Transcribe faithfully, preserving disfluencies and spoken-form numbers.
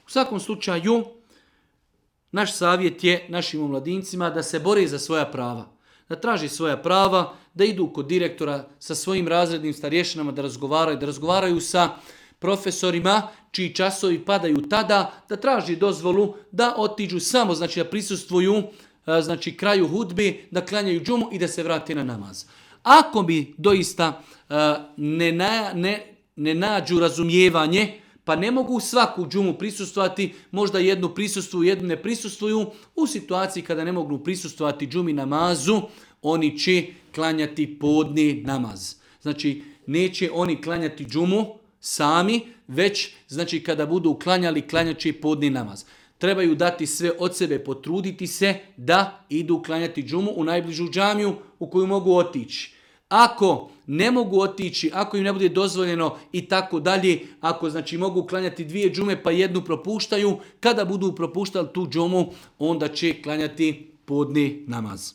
U svakom slučaju, naš savjet je našim omladincima da se bore za svoja prava. Da traži svoja prava, da idu kod direktora sa svojim razrednim starješinama da razgovaraju, da razgovaraju sa profesorima čiji časovi padaju tada, da traži dozvolu da otiđu samo, znači da prisustvuju znači kraju hudbe, da klanjaju džumu i da se vrate na namaz. Ako bi doista ne, na, ne, ne nađu razumijevanje, pa ne mogu svaku džumu prisustvovati, možda jednu prisustvuju, jednu ne prisustvuju, u situaciji kada ne mogu prisustvovati džumi namazu, oni će klanjati podni namaz. Znači, neće oni klanjati džumu sami, već znači kada budu klanjali, klanjat će podni namaz. Trebaju dati sve od sebe, potruditi se da idu klanjati džumu u najbližu džamiju u koju mogu otići. Ako ne mogu otići, ako im ne bude dozvoljeno i tako dalje, ako znači mogu klanjati dvije džume pa jednu propuštaju, kada budu propuštali tu džumu, onda će klanjati podni namaz.